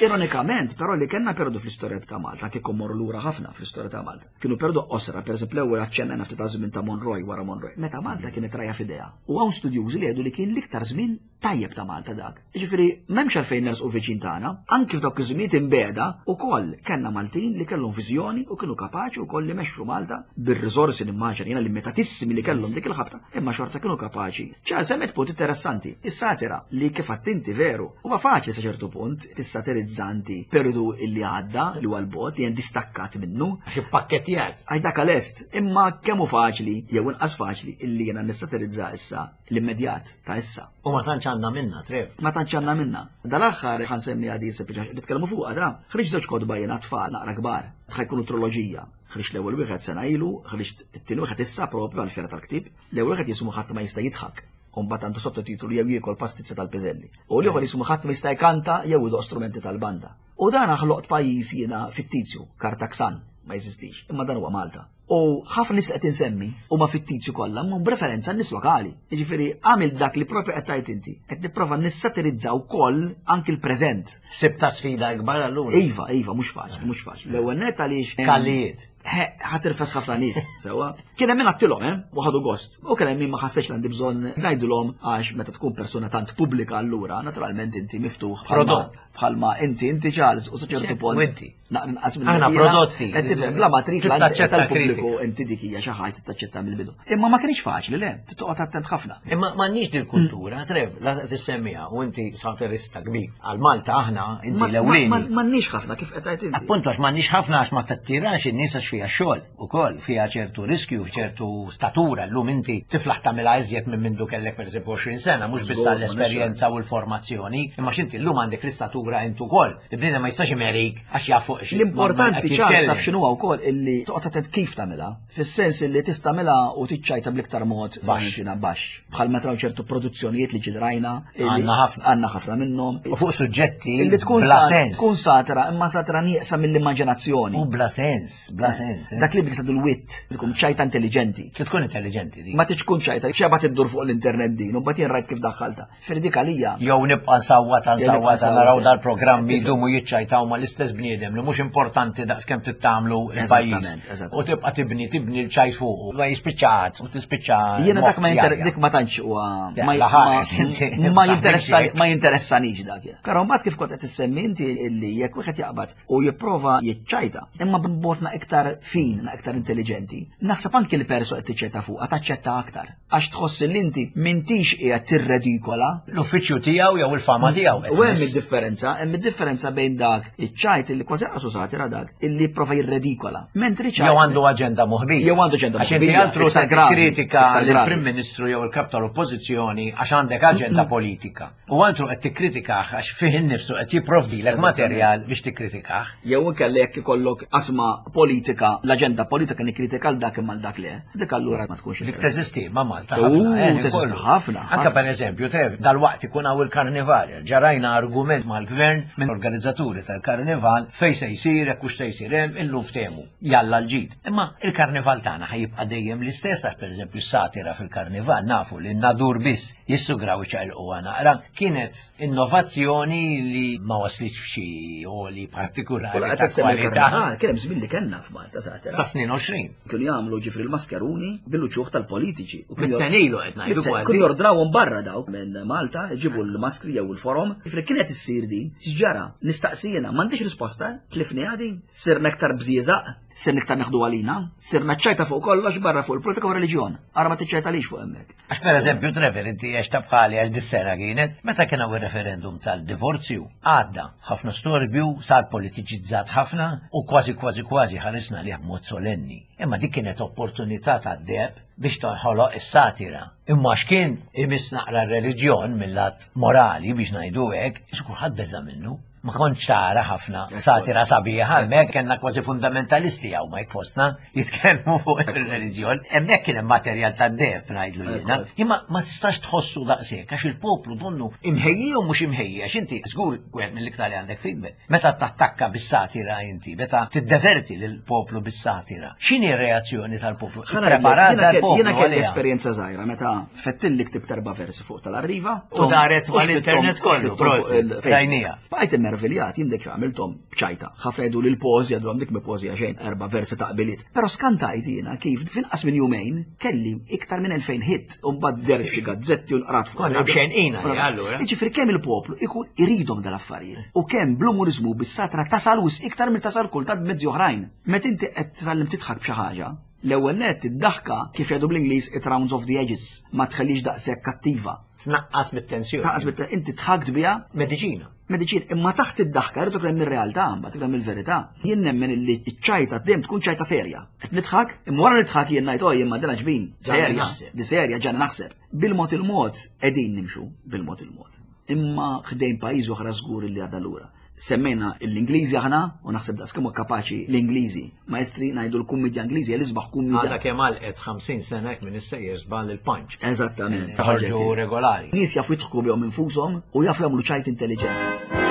Ironikament, però li kellna periodu fl-istorja ta' Malta, kieku morru lura ħafna fl-istorja ta' Malta. Kienu periodu qosra, per eżempju l-ewwel aċċennajna ftit żmien ta' Monroy wara Monroy, meta Malta kienet rajja f'idejha. U hawn studjużi li jgħidu li kien l-iktar żmien tajjeb ta' Malta dak. Jiġifieri m'hemmx għalfejn nersqu viċin tagħna, anki f'dawk iż-żminijiet imbegħda ukoll kellna Maltin li kellhom viżjoni u kienu kapaċi wkoll li mexxu Malta bir-riżorsi nimmaġina jiena limitatissimi li kellhom dik il-ħabta, imma xorta kienu kapaċi. Ċar semmet punt interessanti, is-satira li kif inti veru, huwa faċli sa ċertu punt tissatirizza inti periodu illi għadda li huwa l-bot li hemm distakkat minnu. Għax ippakketjat. Għax dak lest, imma kemm hu faċli jew inqas faċli illi jiena nissatirizza issa l-immedjat ta' issa. U ma tantx għandna minna, Trev. Ma tantx għandna minna. Dal-aħħar ħa nsemmi għadi sempliċi nitkellmu fuqha da. Ħriġt żewġ kotba jiena tfal naqra kbar. Ħa jkunu triloġija. Ħriġt l-ewwel wieħed sena ilu, ħriġt it-tieni wieħed issa propju għall-fiera tal-ktieb. L-ewwel wieħed jismu ħadd ma jista' jidħak. U mbagħad għandu sottotitolu jew jiekol pastizza tal-piżelli. U l-ieħor jismu ħadd ma jista' jkanta jew idoq strumenti tal-banda. U dan ħloqt pajjiż jiena fittizju, Kartaksan, ma jeżistix, imma dan huwa Malta. U ħafna nies qed insemmi huma fittizju kollha, imma b'referenza nies lokali. Jiġifieri għamil dak li propju qed tgħid inti, qed nipprova nissatirizza wkoll anki l-preżent. Sibta sfida ikbar allura. Iva, iva, mhux faċli, mhux faċli. L-ewwel net għaliex Kallijiet. Ħa tirfes ħafna nies, sewwa. Kien hemm min għattilhom, eh, u ħadu gost. U kien hemm min ma ħassejx li għandi bżonn ngħidulhom għax meta tkun persuna tant pubblika allura, naturalment inti miftuħ Prodott. Bħalma inti, inti Charles, u sa ċertu punt. U inti. Naqra minn Aħna prodotti. Qed tifhem, bla ma trid Taċċetta tal-pubbliku inti dik hija xi ħaġa taċċetta mill-bidu. Imma ma kienx faċli, le, toqgħod attent ħafna. Imma m'għandniex dil-kultura, Trev, la tissemmiha u inti satirista kbir. Għal Malta aħna inti l-ewlieni. M'għandniex ħafna kif qed tgħid inti. Appuntu għax m'għandniex ħafna għax ma tattirax in-nies għax fiha xogħol ukoll, fiha ċertu riskju, ċertu statura. Llum inti tiflaħ tagħmilha iżjed minn mindu kellek pereżempju 20 sena, mhux biss għall-esperjenza u l-formazzjoni, imma x'inti llum għandek l-istatura int ukoll. Il-bniedem ma jistax imerik għax jaf fuq xi. L-importanti ċar taf x'inhu wkoll illi toqgħod attent kif tagħmilha, fis-sens illi tista' tagħmilha u tiċċajta bl-iktar mod Baxx. baxx. Bħal meta raw ċertu produzzjonijiet li ġidrajna. Għandna ħafna. Għandna ħafna minnhom. U fuq suġġetti Illi tkun bla sens. Tkun satira, imma satira nieqsa mill-immaġinazzjoni. U bla sens, bla sens. eh. Dak li bil l-wit, tkun ċajta intelligenti. Trid tkun intelligenti di. Ma tkun ċajta, xeba tiddur fuq l-internet din, u mbagħad jien rajt kif daħħalta. Firdik għalija. Jew nibqa' nsawwat nsawwat nsawwat. naraw dal-programmi jdumu jiċċajtaw ma l-istess bniedem li mhux importanti daqskemm tittamlu il-pajjiż. Eżattament, eżattament. U tibqa' tibni tibni l-ċajt fuqu. Ma jispiċċa u tispiċċa. Jiena dak ma moħħ jinter jarja. dik ma tantx huwa Ja, ma la ħares, inti. ma jinteressa ma jinteressanix dak. jiena. Però mbagħad kif kont qed issemmi inti illi jekk wieħed jaqbad u jipprova jiċċajta, imma b'mod iktar fin, na iktar intelligenti, naħseb anki l-perso qed tiċċajta fuqha taċċetta aktar. Għax tħoss li inti m'intix qiegħed tirredikola L-uffiċċju tiegħu jew il-fama tiegħu. U hemm id-differenza, hemm id-differenza bejn dak iċ-ċajt illi kważi qasu satira dak illi jipprova jirredikola. Mentri ċajt Jew għandu aġenda moħbija. Jew għandu aġenda Għax inti moħbija, altru iktar ta' gravi, kritika iktar gravi. lill-Prim Ministru jew il-kap tal-Oppożizzjoni għax għandek aġenda politika. U altru qed tikkritikah għax fih innifsu qed jipprovdilek materjal biex tikkritikah. Jew inkella jekk ikollok qasma politika, l-aġenda politika nikkritika l dak imma l dak le. Dik allura ma tkunx Dik interessanti. teżisti ma' Malta U, ħafna. eh, teżisti kollu. ħafna, Anka ħafna. per eżempju, Trev, dal-waqt ikun hawn il-karnival. Ġarajna argument mal-gvern minn organizzaturi tal-karnival fej se jsir, jekk hux se jsir hemm, illum ftehmu. Jalla l-ġid. Imma il-karnival tagħna ħajibqa' dejjem l-istess għax pereżempju s-satira fil-karnival nafu li n-nadur biss jissugraw iċaqilquha naqra. Kienet innovazzjoni li ma waslitx f'xi oli partikolari Kulla qed ta' issemmi kwalità. l-karnival, kien hemm żmien li kellna f'Malta satira. Sa snin 20. Kienu jagħmlu ġifri l-maskeruni bil-uċuħ tal-politiċi. U kienu Mit senilu qed ngħidu Mit-sen- kważi. Kienu jordrawhom barra dawk minn Malta, jġibu l-maskri jew il-forom. Ġifri kienet issir din, x'ġara, nistaqsijena, m'għandix risposta, tlifni din, sirna iktar bżieżaq, sirna iktar neħdu għalina, sirna ċajta fuq kollox barra fuq il-politika u reliġjon. Ara ma tiċċajta lix fuq hemmhekk. Għax per eżempju, Trevor, inti għex ta' bħali għax dis-sena kienet, meta kien hawn ir-referendum tal-divorzju, għadda ħafna storbju, sar politiċizzat ħafna u kważi kważi kważi ħarisna li b'mod solenni. Imma dik kienet opportunità ta' deb biex tonħoloq is-satira. Imma x'kien imiss naqra r-reliġjon mill-lat morali biex ngħidu hekk, ix kulħadd beża' minnu. Ma kontx tara ħafna satira sabiħa, hemmhekk kellna kważi fundamentalisti hawn ma jkfostna jitkellmu fuq ir-reliġjon. Hemmhekk kien hemm materjal tad-deb ngħidlu jiena. Imma ma tistax tħossu daqshekk għax il-poplu donnu imħejji u mhux imħejji għax inti żgur wieħed mill-iktar li għandek feedback. Meta tattakka bis-satira inti, meta tiddeverti lill-poplu bis-satira. X'inhi r-reazzjoni tal-poplu? Preparat Jiena dal-poplu kelli għaliha. esperjenza żgħira meta fettilli ktibt erba' versi fuq tal-arriva. U daret mal-internet kollu, prosit, rajnija. Bqajt mmerviljat, jien dik għamilthom b'ċajta. Ħafna jgħidu li l-pożja jgħidu dik mi pożja xejn, erba' versi ta' qbiliet. Però skantajt jiena kif finqas minn jumejn kelli iktar minn 2000 hit u mbagħad deher f'xi gazzetti u nqrat fuq. Konna b'xejn qina allura. Jiġifieri kemm il-poplu ikun iridhom dal-affarijiet u kemm bl-umuriżmu bis-satra tasal wisq iktar mill tasal kultant b'mezzi oħrajn. Meta inti qed titgħallem tidħak b'xi ħaġa, l-ewwel nett id-daħka kif jgħidu bl-Ingliż it rounds off the edges, ma tħallix daqshekk kattiva. Tnaqqas mit-tensjoni. Tnaqqas mit inti tħakt biha. Mediċina. Mediċina, imma taħt id-daħka jrid ikun hemm ir-realtà, mbagħad ikun hemm il-verità. Jien nemmen illi ċ-ċajta dejjem tkun ċajta serja. Qed nidħak, imma wara nidħak jien ngħid oh imma din ġbin, serja, di serja ġana naħseb. Bil-mod il-mod qegħdin nimxu bil-mod il-mod. Imma ħdejn pajjiż oħra żgur li għadha lura. Semmejna l-Ingliżi aħna u naħseb daqs kemm kapaċi l-Ingliżi. Maestri ngħidu l-kummedja Ingliżi l-isbaħ kummedja. Għadha kemm għalqet 50 sena hekk minn issejjer żball il-punch. Eżattament. Ħarġu regolari. Nies jafu jidħku bihom infushom u jafu jagħmlu ċajt intelliġenti.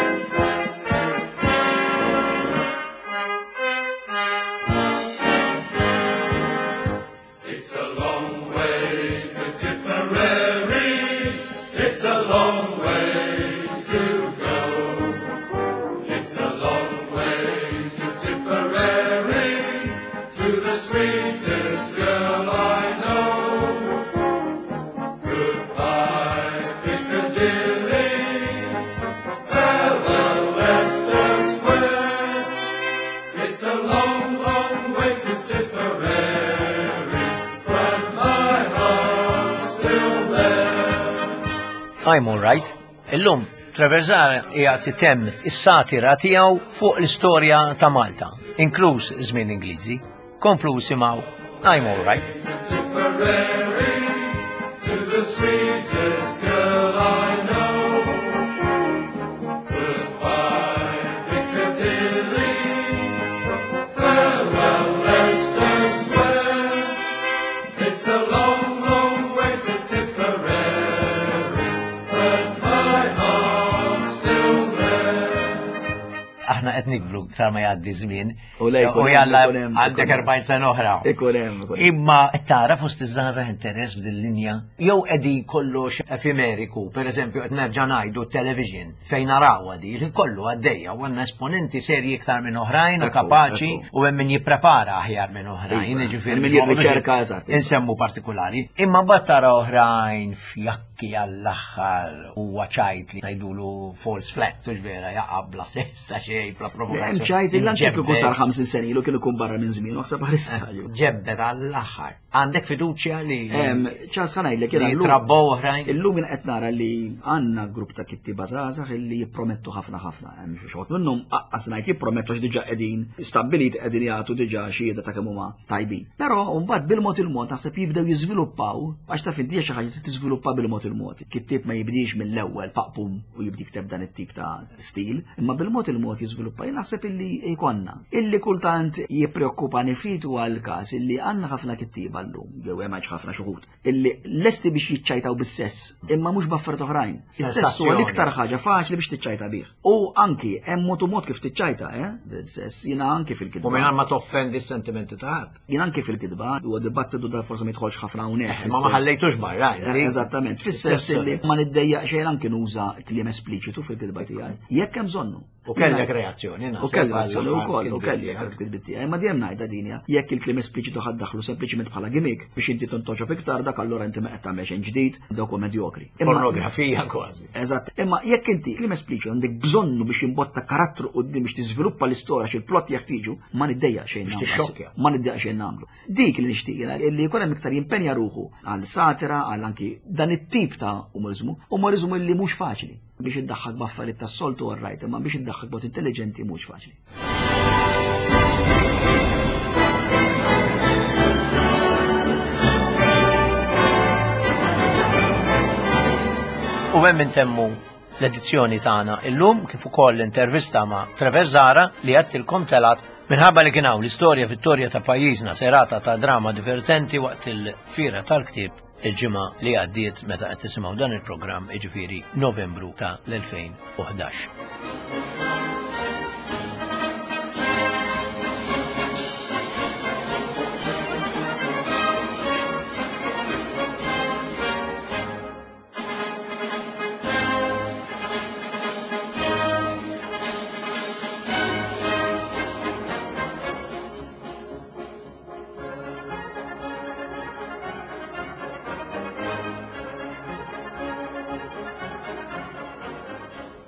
It's a long way to Tipperary. It's a long way to go. It's a long way to Tipperary, to the sweetest girl I know. Goodbye, Piccadilly. Farewell, Leicester Square. It's a long, long way to Tipperary, but my heart's still there. I'm all right. Illum, Trevor Zahra qiegħed itemm is-satira tiegħu fuq l-istorja ta' Malta, inkluż żmien Ingliżi. Komplu simgħu I'm all right. To Tipperary, to the sweetest girl I know. Goodbye, Piccadilly. Farewell, Leicester Square. It's a long, long way to Tipperary, but my heart's still there. Aħna qed nikbru iktar ma jgħaddi żmien. U le, jkun U hemm, jalla ikun hemm, għandek ikun hemm. 40 sena oħra. Ikun hemm, ikun hemm. Imma qed tara fost iż-żgħażagħ interess f'din linja jew qegħdin kollox efimeriku, pereżempju qed nerġa' ngħidu television fejn narawha di li kollu għaddejja u għandna esponenti serji iktar minn oħrajn u Ekku, kapaċi ekku. u hemm min jipprepara aħjar minn oħrajn, Iva, jiġifieri hemm min biex ma noqogħdux jirriċerka, eżatt. Insemmu partikolari. Imma mbagħad tara oħrajn fjakki għall-aħħar huwa ċajt li ngħidulu false flat, hux vera jaqa' bla sens ta' xejn, bla Hemm provokazzjoni. ċajt il anke kieku sar Ġebbet. 50 sena ilu kien ikun barra minn żmien, naħseb bħalissa. Ġebbet għall-aħħar. Għandek fiduċja li Ċas ħa ngħidlek jiena li llum- trabbow oħrajn? Illum jien qed nara li għandna grupp ta' kittieba żgħażagħ illi jippromettu ħafna ħafna. Hemm xi xogħol minnhom aqqas ngħid jippromettu għax diġà qegħdin stabbilit qegħdin jagħtu diġà xhieda ta' kemm huma tajbin. Però mbagħad bil-mod il-mod naħseb jibdew jiżviluppaw għax taf inti hija xi ħaġa li tiżviluppa bil-mod il-mod. Kittieb ma jibdix mill-ewwel paqpum u jibdi jikteb dan it-tip ta' stil, imma bil-mod il-mod jiżviluppa. Jien naħseb illi jkollna. Illi kultant jippreokkupani ftit huwa l-każ illi għandna ħafna kittieba llum, jew hemm ħafna xi wħud, illi lesti biex jiċċajtaw bis-sess, imma mhux b'affarijiet oħrajn. Is-sess huwa Sensazzjoni. l-iktar ħaġa faċli biex tiċċajta bih. U anki hemm mod u mod kif tiċċajta, eh, bil-sess, jiena anki fil-kitba. U mingħajr ma toffendi s-sentimenti ta' ħadd. Jien anki fil-kitba, huwa dibattitu da forsi ma jidħolx ħafna hawnhekk. Ma ma ħallejtux barra. inti. Eżattament, fis-sess Is-sess. illi ma niddejjaq xejn anki nuża kliem espliċitu fil-kitba tiegħi. Jekk hemm bżonnu. U kellek reazzjoni, U naħseb, kelli reazzjoni għall-aħħar wkoll, u kitbiet kelli tiegħek. kitbiet tiegħi. Ma dejjem ngħidha din hija, jekk il-kliem espliċitu ħadd daħlu sempliċiment bħala gimmick biex inti tontoġob iktar dak allura inti ma qed tagħmel xejn ġdid, dawk huwa medjokri. Imma- Pornografija kważi. Eżatt, imma jekk inti kliem espliċitu għandek bżonnu biex jimbotta karattru quddiem biex tiżviluppa l-istorja xi l-plot jekk tiġu, ma niddejjaq xejn Biex nagħmlu. tixxokkja. Ma niddejjaq xejn nagħmlu. Dik li nixtieq jiena li jkun hemm iktar jimpenja ruħu għal satira, għal anki dan it-tip ta' umorizmu, umorizmu li mhux faċli biex iddaħħak b'affarijiet tas-soltu all right, imma biex iddaħħak b'mod intelligenti mhux faċli. U hemm intemmu l-edizzjoni tagħna illum kif ukoll l-intervista ma' Trevor Zahra li għattilkom telat minħabba li kien hawn l-istorja vittorja ta' pajjiżna serata ta' drama divertenti waqt il-fira tal-ktieb il-ġimgħa li għaddiet meta qed tisimgħu dan il-programm jiġifieri Novembru ta' l-2011.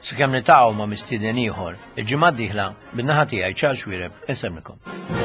Sakemm niltaqgħu ma' mistieden ieħor, il-ġimgħa d-dieħla, min-naħa tiegħi Charles Xuereb insellmilkom.